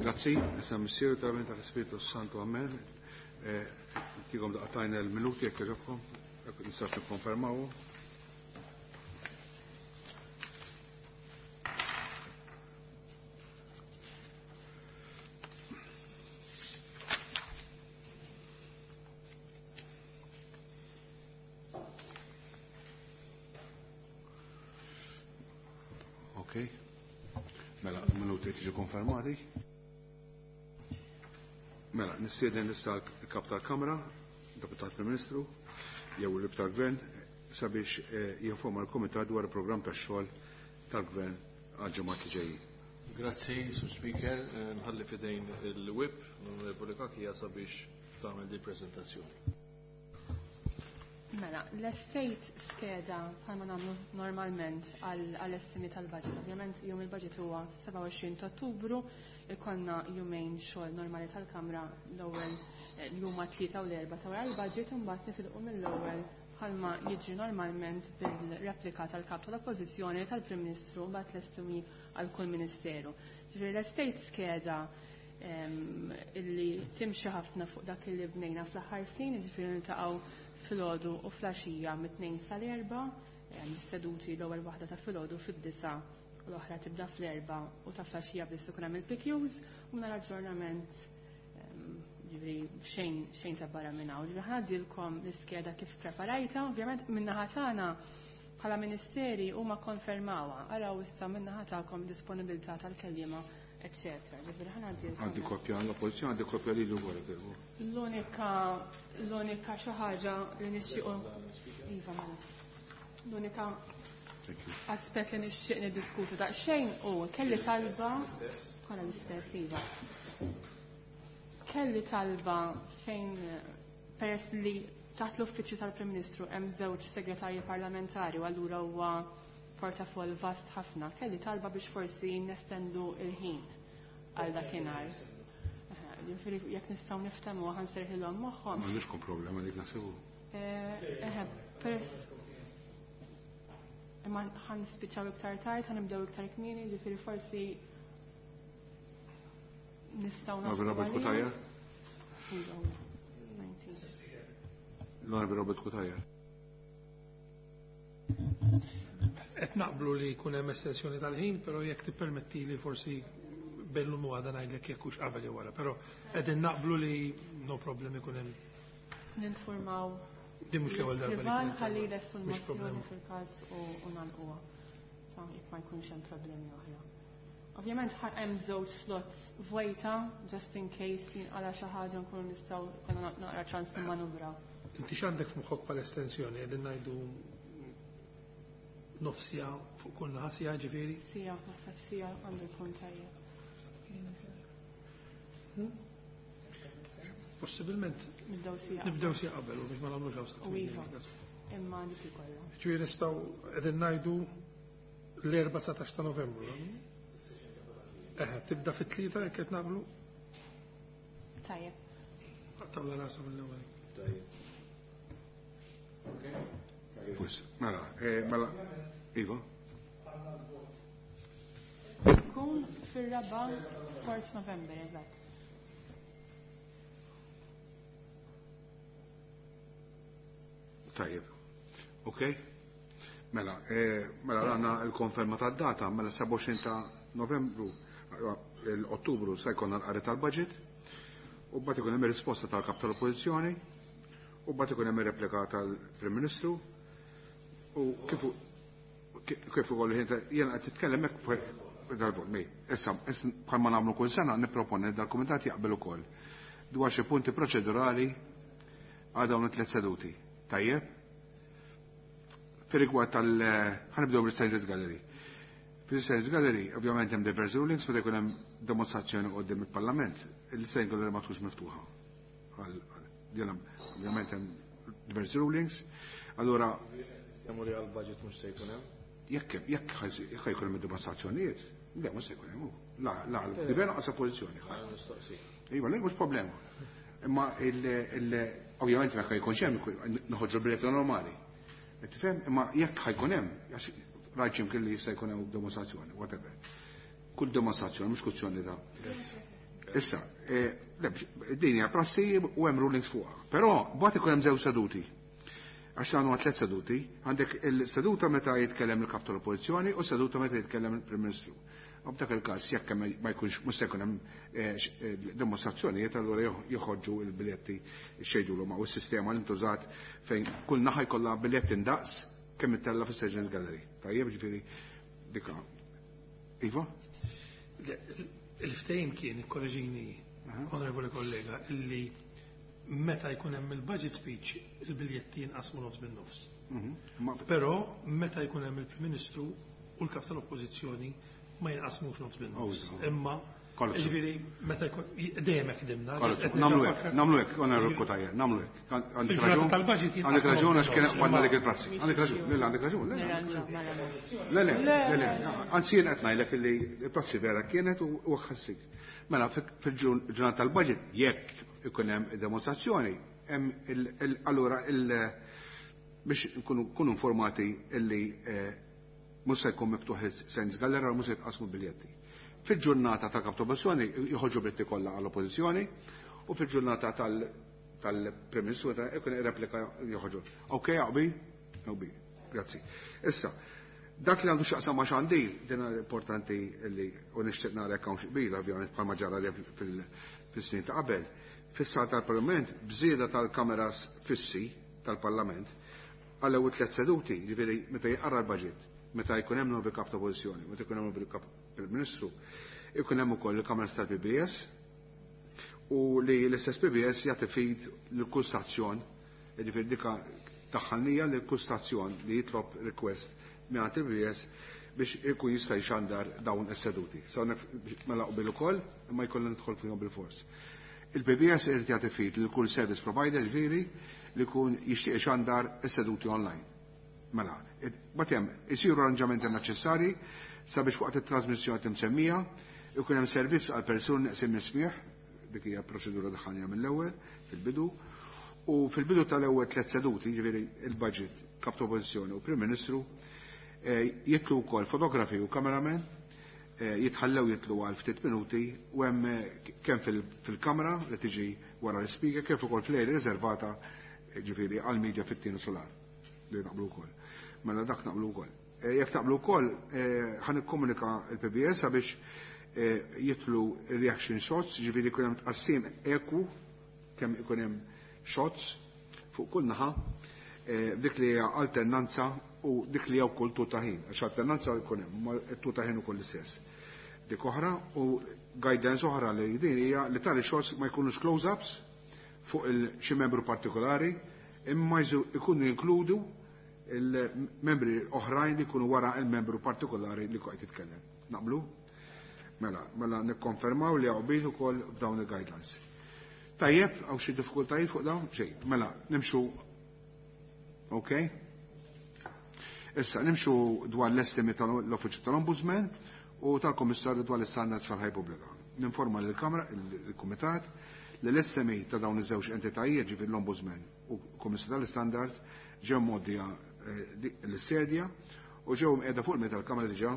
Grazzi, issa Missier tal tal-Ispiritu Santu, Amen. Tikom daqtajna l-minuti jekk jogħġobkom, jekk nistax nikkonfermaw. Ok. Mela, minuti tiġi konfermati. Mela, nistieden issa l-kap tal-Kamra, deputat Prim Ministru, jew il-Rib tal-Gvern, sabiex jinforma l-Komitat dwar il-programm tax-xogħol tal-Gvern għal-ġimgħat li ġejjin. Grazzi, Sur Speaker, nħalli fidejn il-WIP, l-Onorevoli Kakija sabiex tagħmel di prezentazzjoni. Mela, l-estate skeda bħalma nagħmlu normalment għall-estimi tal-budget. Ovvjament jum il-budget huwa 27 ta' Ottubru, ikollna jumejn xogħol normali tal-Kamra l-ewwel l-jum tlieta u l-erba' ta' wara l-budget u mbagħad nitilqu mill-ewwel bħalma jiġri normalment bil-replika tal-kap tal-Oppożizzjoni tal-Prim Ministru mbagħad l-estimi għal kull ministeru. Ġifieri l-estate skeda illi timxi ħafna fuq dak li bnejna fl-aħħar snin, jiġifieri niltaqgħu filgħodu u flaxija mit-tnejn sal-erba', seduti l-ewwel waħda ta' filgħodu fid-disa u l-oħra tibda fl-erba' u ta' flaxija biss ikun hemm il-PQs u nhar aġġornament ġifieri xejn xejn ta' barra minn hawn. Ġifieri ħadilkom l-iskeda kif preparajta, ovvjament min-naħa tagħna bħala ministeri huma konfermawha. Araw issa min-naħa tagħkom disponibilità tal-kelliema eccetera. Ġifieri ħanadilkom. Għandi kopja għall-oppożizzjoni, għandi kopja lilu wkoll. L-unika l-unika xi ħaġa li nixtiequ Iva mela. L-unika aspett li nixtieq niddiskutu daqsxejn u kelli talba kollha l-istess iva. Kelli talba fejn peress li taħt l-uffiċċju tal-Prim Ministru hemm żewġ segretarji parlamentari u allura huwa portafoll vast ħafna. Kelli talba biex forsi nestendu il-ħin għal dakinhar. Ġifieri jekk nistgħu niftehmu ħa nserħilhom moħħhom. M'għandix problema dik naħsibu. Eħe, peress imma ħa nispiċċaw iktar tard, ħa nibdew iktar kmieni, ġifieri forsi nistgħu naslu. Robert Cutajar? Iva, 19. L-Onorevoli Robert Cutajar. Qed naqblu li jkun hemm estensjoni tal-ħin, però jekk tippermettili forsi bellum u għada ngħidlek jekk hux qabel jew wara, però qegħdin naqblu li no problem ikun hemm. Ninformaw Din mhux l-ewwel darba li l-iskrivan kienet ħalli darba. jlestu Mhux l-mozzjoni problema. fil-każ u nagħlquha. Sa jekk ma jkunx hemm problemi oħra. Ovvjament hemm żewġ slots vojta, just in case jinqala xi ħaġa nkunu nistgħu jkollna naqra ċans nimmanuvraw. Inti x'għandek f'moħħok bħala estensjoni qegħdin ngħidu nofsija fuq kull naħa sija ġifieri? Sija, naħseb sija għandu jkun tajjeb. Possibilment Nibdew sija. Nibdew sija qabel u biex ma nagħmlux hawn U iva. Imma dik ikollha. Ġifieri nistgħu qegħdin ngħidu l-4 19 ta' Novembru. Eħe, tibda fit-tlieta jekk qed nagħmlu? Tajjeb. Tawla rasa mill-ewwel. Tajjeb. Pues, mela, mela, Iva. Kun fir-raba' 4 November, eżatt. Tajjeb. Ok? Mela, mela għandna l-konferma tad-data, mela 27 ta' Novembru, l-Ottubru se jkollna l-qari tal-budget, u mbagħad ikun hemm ir-risposta tal-kap tal-Oppożizzjoni, u mbagħad ikun hemm ir-replika tal-Prim Ministru, u kif ukoll jiena qed titkellem hekk fuq dal-vot. Issa, bħalma nagħmlu kull sena nipproponi dal-kumitat jaqbel ukoll dwar xi punti proċedurali għal dawn it-tliet seduti. Tajjeb? Fir-rigward tal ħanibdew bil-Standards Gallery. Fil-Standards Gallery, ovvjament hemm diversi rulings meta jkun hemm demonstrazzjoni qudiem il-Parlament, il-Standards Gallery ma tkunx miftuħa. Ovvjament hemm diversi rulings. Allura Jagħmlu li għall-budget mhux se jkun hemm? Jekk jkun hemm dimostrazzjonijiet, le mhux se jkun hemm. La, la, il-gvern qasa pożizzjoni. Iva, le mhux problema. Imma ovvjament jekk jkunx hemm noħorġu l-biljetti normali. Tifhem? Imma jekk ħajkun hemm, għax rajt x'imkien li jista' jkun hemm demonstrazzjoni, whatever. Kull demonstrazzjoni mhux kwestjoni ta' Issa, din hija prassi u hemm rulings fuqha. Però mbagħad ikun hemm żewġ seduti. Għax għandu tliet seduti, għandek il-seduta meta jitkellem il-kap tal-Oppożizzjoni u seduta meta jitkellem il-Prim Ministru. U b'dak il-każ jekk ma jkunx mhux se jkun hemm dimostrazzjonijiet allura joħorġu l-biljetti xejdulhom u s-sistema li ntużat fejn kull naħa jkollha biljetti ndaqs kemm ittella fis-Sessions Gallery. Tajjeb ġifieri dika. Iva? Il-ftehim kien, ikkoreġini, onorevoli kollega, illi meta jkun hemm il-budget speech il-biljetti jinqasmu nofs bin-nofs. Però meta jkun hemm il-Prim Ministru u l-kap tal-Oppożizzjoni ma jinqasmux nofs bin-nofs. Imma ġifieri meta jkun dejjem hekk ħdimna. Nagħmlu hekk, nagħmlu hekk, onorevoli Cutajar, nagħmlu hekk. Għandek raġun. Tal-budget Għandek raġun għax kien għandna dik il-prassi. Għandek raġun, le, għandek raġun, le. Le, le, le, le. Anzi jien qed ngħidlek illi l-prassi vera kienet u ħassik. Mela fil-ġurnata tal-budget jekk ikun hemm demonstrazzjoni, hemm allura biex nkunu informati illi mhux se jkun miftuħ is-Sens Gallery u mhux se jitqasmu biljetti. Fil-ġurnata tal-kap tal-Oppożizzjoni joħorġu biljetti kollha għall-Oppożizzjoni u fil-ġurnata tal-Prim Ministru ikun replika joħorġu. Ok, għaqbi? Għaqbi, grazzi. Issa, dak li għandu x'jaqsam ma' xandir, din importanti li u nixtieq nara jekk hawn xi qbil, ovvjament bħalma ġara fis-snin ta' qabel. Fis-sala tal-Parlament, b'żieda tal-kameras fissi tal-Parlament, għall-ewwel tliet seduti, ġifieri meta jinqara l-budget, meta jkun hemm nuovi kap ta' oppożizzjoni, meta jkun hemm nuovi kap Prim Ministru, ikun hemm ukoll il-kameras tal-PBS u li l-istess PBS jagħti feed lil kull stazzjon, jiġifieri dika taħħalnija lil kull stazzjon li jitlob request mingħand il-PBS biex ikun jista' jxandar dawn is-seduti. Sa hawnhekk mela qbil ukoll, imma jkollna nidħol fihom bil-fors. Il-PBS irid jagħti feed lil kull service provider ġifieri li jkun jixtieq ixandar is-seduti online. Mela, bagħad hemm isiru arranġamenti neċessarji sabiex waqt it-trasmissjoni timsemmija ikun hemm servizz għal persuni neqsin mis-smieħ, dik hija proċedura daħħalnija mill-ewwel fil-bidu, u fil-bidu tal-ewwel tliet seduti, jiġifieri il-budget, kap ta' oppożizzjoni u Prim Ministru, jitlu wkoll fotografi u kameramen, jitħallew jitlu għal ftit minuti u hemm kemm fil-kamera li tiġi wara l-speaker kif ukoll fl-area riservata ġifieri għall-media fit-tieni solar li naqblu wkoll. Mela dak naqblu wkoll. Jekk taqblu wkoll ħa nikkomunika l-PBS sabiex jitlu reaction shots, ġifieri jkun hemm tqassim eku kemm ikun hemm shots fuq kull naħa, dik li hija alternanza u dik li hija wkoll tul ta' ħin, għax alternanza jkun hemm, ma tul ta' ħin ukoll l-istess. Dik oħra u guidance oħra li din hija li tali shots ma jkunux close-ups fuq xi membru partikolari, imma jkunu jinkludu il-membri oħrajn li jkunu wara il-membru partikolari li qed jitkellem. Naqblu? Mela, mela nikkonfermaw li hawn ukoll f'dawn il-guidelines. Tajjeb, hawn xi diffikultajiet fuq dawn? Xejn. Mela, nimxu. Ok? Issa, nimxu dwar l-estimi tal-Uffiċċju tal-Ombudsman u tal-Kummissarju dwar l-Istandards fil-Ħajja Pubblika. Ninforma lill-Kamra, il-Kumitat, li l-estimi ta' dawn iż-żewġ entitajiet, ġifieri l-Ombudsman u l-Kummissarju tal-Istandards, ġew mgħoddija l-sedja u ġew mqiegħda fuq il-mejda tal-Kamra diġà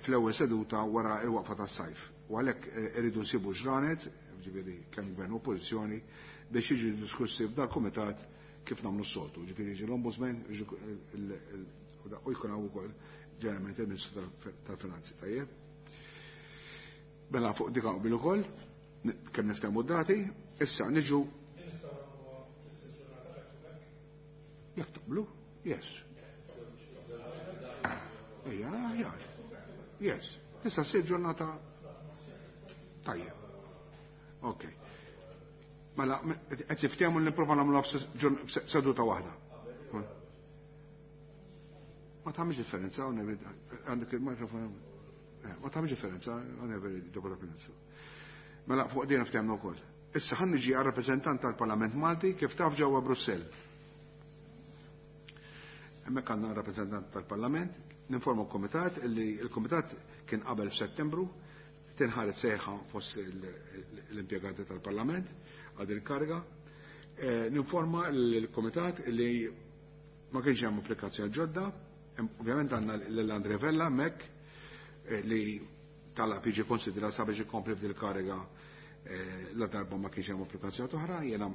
fl-ewwel seduta wara l-waqfa tas-sajf. U għalhekk irridu nsibu ġranet, ġifieri kemm gvern u oppożizzjoni, biex jiġu diskussi f'dal-kumitat kif nagħmlu s-soltu. Ġifieri jiġi l-Ombudsman u jkun hawn ukoll ġeneralment il-Ministru tal-Finanzi, tajjeb. Mela fuq dik qbil ukoll, kemm niftehmu d-dati, issa niġu Jekk taqblu? Yes. Ejja, aħjar. Yes. Tista' ssir ġurnata tajjeb. Ok. Mela, qed niftehmu li nipprova nagħmluha f'seduta waħda. Ma tagħmilx differenza, għandek il-mikrofon. Ma tagħmilx differenza, onorevoli Deputat Prim Ministru. Mela fuq din niftehmu wkoll. Issa ħa niġi għar-rappreżentant tal-Parlament Malti kif taf ġewwa Brussell. Hemmhekk għandna rappreżentant tal-Parlament, ninforma l-Kumitat li l-Kumitat kien qabel f'Settembru tinħaret sejħa fost l-impjegati tal-Parlament għal din il-karga. Ninforma l-Kumitat li ma kienx hemm applikazzjoni ġodda, ovvjament għandna lil Andre Vella hemmhekk li talab jiġi konsidrat sabiex ikompli f'dil kariga la darba ma kienx hemm applikazzjoni oħra, jiena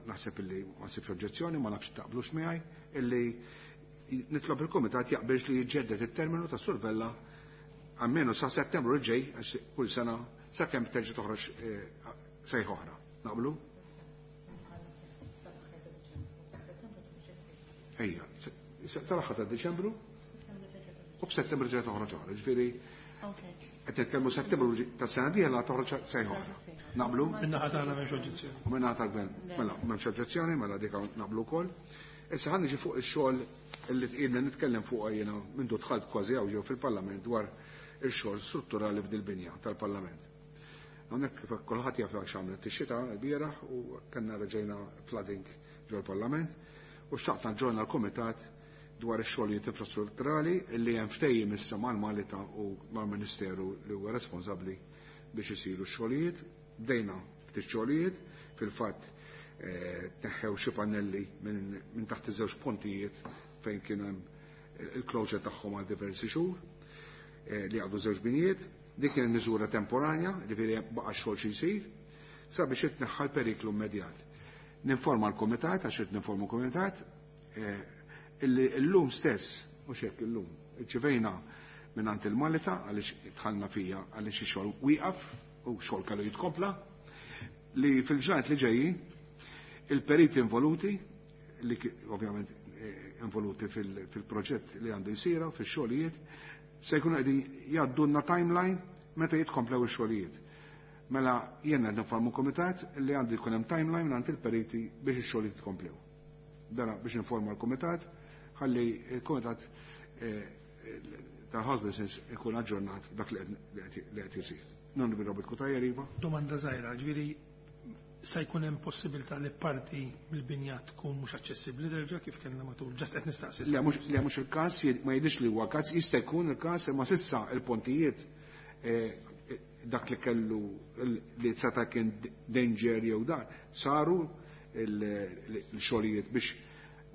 naħseb illi ma nsibx oġġezzjoni, ma nafx taqblux miegħi, illi nitlob il-Kumitat jaqbilx li jiġġedded it-terminu ta' Sur Vella almenu sa' Settembru li ġej, għax kull sena sakemm terġa' toħroġ sejħa oħra. Naqblu? Ejja, sal-aħħar ta' Diċembru u f'Settembru ġej toħroġ oħra. Ġifieri qed nitkellmu Settembru tas-sena dieħla toħroġ sejħa oħra. Naqblu? Min-naħa tagħna m'hemmx oġġezzjoni. U min-naħa tal-gvern. Mela, m'hemmx oġġezzjoni, mela dik naqblu wkoll. Issa ħa niġi fuq ix-xogħol li tqilna nitkellem fuq jiena mindu dħalt kważi hawn ġew fil-Parlament dwar ix-xogħol strutturali f'dil-binja tal-Parlament. Hawnhekk kif kulħadd jaf x'għamlet ix-xita l-bieraħ u kellna reġejna flooding ġol-Parlament u xtaqt naġġorna l-Kumitat dwar ix-xogħlijiet infrastrutturali li hemm ftehim issa mal-Malita u mal-Ministeru li huwa responsabbli biex isiru x-xogħlijiet. Bdejna ftit xogħlijiet, fil-fatt tneħħew xi pannelli minn taħt iż-żewġ pontijiet fejn kien hemm il-closure tagħhom għal diversi xhur li għadu żewġ binijiet. Dik kienet miżura temporanja, ġifieri baqa' xogħol xi jsir, sabiex itneħħa l-periklu immedjat. Ninforma l-Kumitat, għax irid ninforma l-Kumitat, illi llum stess, mhux hekk illum, irċivejna mingħand il-Malita għaliex dħalna fija għaliex ix-xogħol wieqaf u xogħol kellu jitkompla, li fil-ġranet li ġejjin il-periti involuti, li ovvjament involuti fil-proġett li għandu jsira, fix-xogħlijiet, se jkunu qegħdin jgħaddulna timeline meta jitkomplew ix-xogħlijiet. Mela jiena qed nformu kumitat li għandu jkun hemm timeline mingħand il-periti biex ix-xogħlijiet jitkomplew. Dana biex informa l-kumitat, ħalli il-kumitat tal-House Business ikun aġġornat dak li qed isir. Non bi Robert Cutajar, iva. Domanda żgħira, ġifieri sa jkun hemm possibilità li parti mill-binja tkun mhux aċċessibbli derġa' kif kellna matul, ġast qed nistaqsi. Le, mhux il-każ, ma jidhirx li huwa każ, jista' jkun il-każ, imma sissa il-pontijiet dak li kellu li seta' kien danger jew dan, saru l-xogħlijiet biex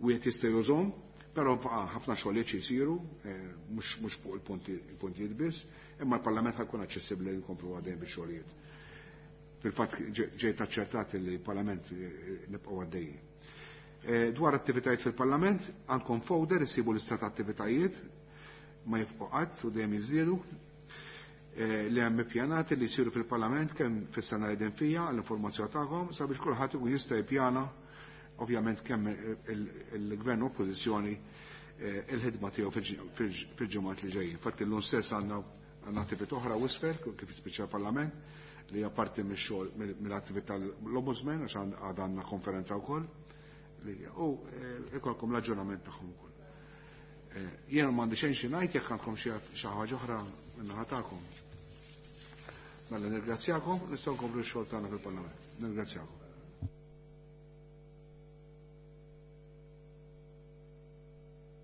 wieħed jista' jużhom, però baqa' ħafna xogħlijiet xi jsiru, mhux fuq il-pontijiet biss, imma l-Parlament ħajkun aċċessibbli li nkomplu għaddejjin bix-xogħlijiet. Fil-fatt ġejt aċċertat li l-Parlament nibqgħu għaddejjin. Dwar attivitajiet fil-Parlament, għandkom folder isibu l-istat ta' attivitajiet, ma jifqgħu qatt u dejjem jiżdiedu, li hemm ippjanati li jsiru fil-Parlament kemm fis-sena li qegħdin fija għall-informazzjoni tagħkom sabiex kulħadd ikun jista' jippjana ovvjament kemm il-Gvern u Oppożizzjoni il-ħidma tiegħu fil-ġimgħat li ġejjin. Infatti llum stess għandna attività oħra wisfel kif jispiċċa l-Parlament li hija parti mix-xogħol mill-attività l-Ombudsman għax għad għandna konferenza wkoll li u ikolkom l-aġġornament tagħhom ukoll. Jiena m'għandi xejn xi ngħid jekk għandkom xi ħaġa oħra min-naħa tagħkom. Mela nirgrazzjakom, nistgħu nkomplu x-xogħol tagħna fil-Parlament. Nirgrazzjakom.